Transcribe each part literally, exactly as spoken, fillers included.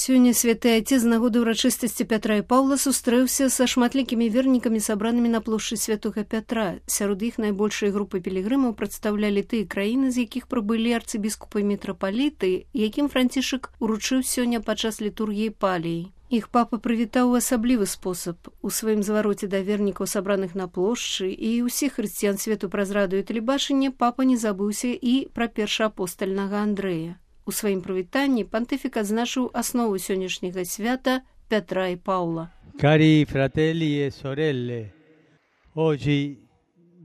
Сёння святы Отец з нагоды ўрачыстасці Пятра і Паўла сустрэўся са шматлікімі вернікамі, сабранымі на плошчы святога Пятра. Сярод іх найбольшыя групы пілігрымаў прадстаўлялі тыя краіны, з якіх прыбылі арцыбіскупы і мітрапаліты, якім Францішак уручыў сёння падчас літургіі паліі. Іх папа прывітаў у асаблівы спосаб. У сваім звароце да вернікаў, сабраных на плошчы, і ўсіх хрысціян свету праз радыё і тэлебачанне, папа не забыўся і пра першаапостальнага Андрэя. У сваім прывітанні пантыфік адзначыў аснову сённяшняга свята Пятра і Паўла. Cari fratelli e sorelle, oggi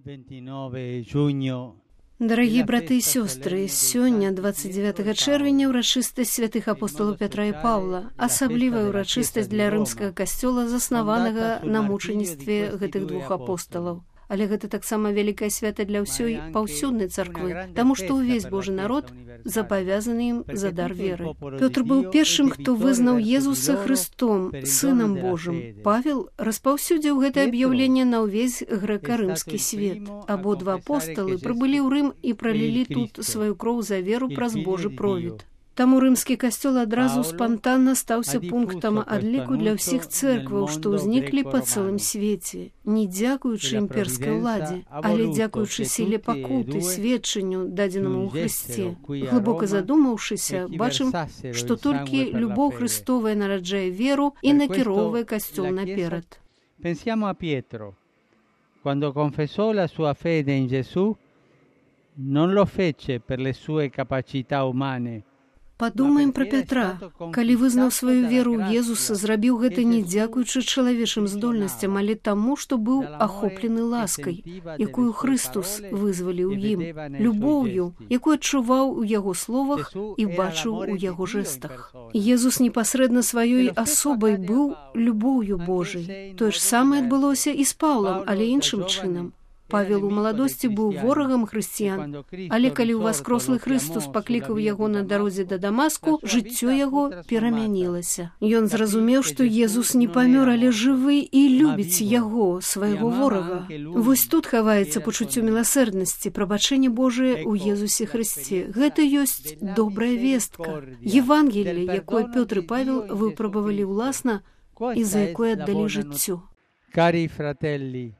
ventinove giugno. Дарагія браты і сёстры, сёння, дваццаць дзевятага чэрвеня, ўрачыстасць святых апосталаў Пятра і Паўла, асаблівая ўрачыстасць для рымскага касцёла, заснаванага на мучаніцтве гэтых двух апосталаў. Але гэта таксама вялікае свята для ўсёй паўсюднай царквы, таму што ўвесь Божы народ запавязаны ім за дар веры. Пётр быў першым, хто вызнаў Езуса Хрыстом, Сынам Божым. Павел распаўсюдзіў гэтае аб'яўленне на ўвесь грэка-рымскі свет. Абодва апосталы прыбылі ў Рым і пралілі тут сваю кроў за веру праз Божы провід. Таму рымскі касцёл адразу спантанна стаўся пунктам адліку для ўсіх цэркваў, што ўзніклі па цэлым свеце. Не дзякуючы імперскай уладзе, але дзякуючы сіле пакуты, сведчанню, дадзенаму ў Хрысце. Глыбока задумаўшыся, бачым, што толькі любоў Хрыстовая нараджае веру і накіроўвае касцёл наперад. Pensiamo a Pietro. Quando confessò la sua fede in Gesù, non lo fece per le sue capacità umane. Падумаем пра Пятра. Калі вызнаў сваю веру ў Езуса, зрабіў гэта не дзякуючы чалавечым здольнасцям, але таму, што быў ахоплены ласкай, якую Хрыстус вызваліў ім, любоўю, якую адчуваў у яго словах і бачыў у яго жэстах. Езус непасрэдна сваёй асобай быў любоўю Божай. Тое ж самае адбылося і з Паўлам, але іншым чынам. Павел у маладосці быў ворагам хрысціян, але калі ўваскрослы Хрыстус паклікаў яго на дарозе да Дамаску, жыццё яго перамянілася. Ён зразумеў, што Езус не памёр, але жывы і любіць яго, свайго ворага. Вось тут хаваецца пачуццё міласэрнасці, прабачэнне Божае ў Езусе Хрысце. Гэта ёсць добрая вестка. Евангелле, якое Пётр і Павел выпрабавалі ўласна і за якое аддалі жыццё. Cari fratelli,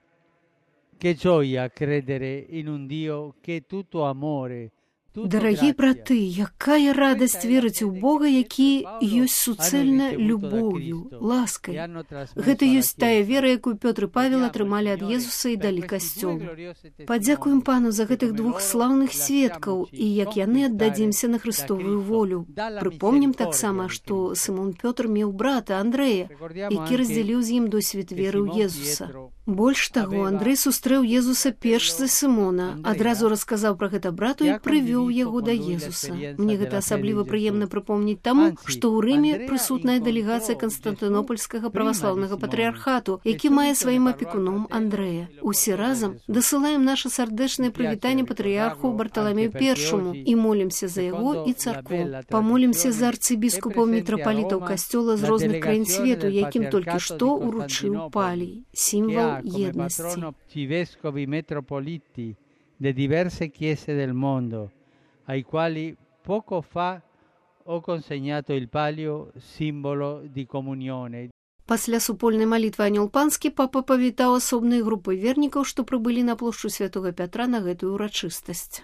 che gioia credere in un Dio che è tutto amore. Дарагія браты, якая радасць верыць у Бога, які ёсць суцэльна любоўю, ласкай. Гэта ёсць тая вера, якую Пётр і Павел атрымалі ад Езуса і далі касцёлу. Падзякуем Пану за гэтых двух слаўных сведкаў і як яны аддадзімся на Хрыстовую волю. Прыпомнім таксама, што Сымон Пётр меў брата Андрэя, які раздзяліў з ім досвед веры ў Езуса. Больш таго, Андрэй сустрэў Езуса перш за Сымона, адразу расказаў пра гэта брату і прывёў яго да Езуса. Мне гэта асабліва прыемна прыпомніць таму, што ў Рыме прысутная дэлегацыя Канстантынопольскага праваслаўнага патрыархату, які мае сваім апекуном Андрэя. Усе разам дасылаем наша сардэчнае прывітанне патрыярху Барталамею Першаму і молімся за яго і царкву. Памолімся за арцыбіскупаў мітрапалітаў касцёла з розных краін свету, якім толькі што уручыў палій, сімвал єдності. Vescovi metropoliti di diverse chiese del mondo, ai quali poco fa ho consegnato il palio, simbolo di comunione. Пасля супольнай малітвы анёл панскі папа павітаў асобныя групы вернікаў, што прыбылі на плошчу святога Пятра на гэтую ўрачыстасць.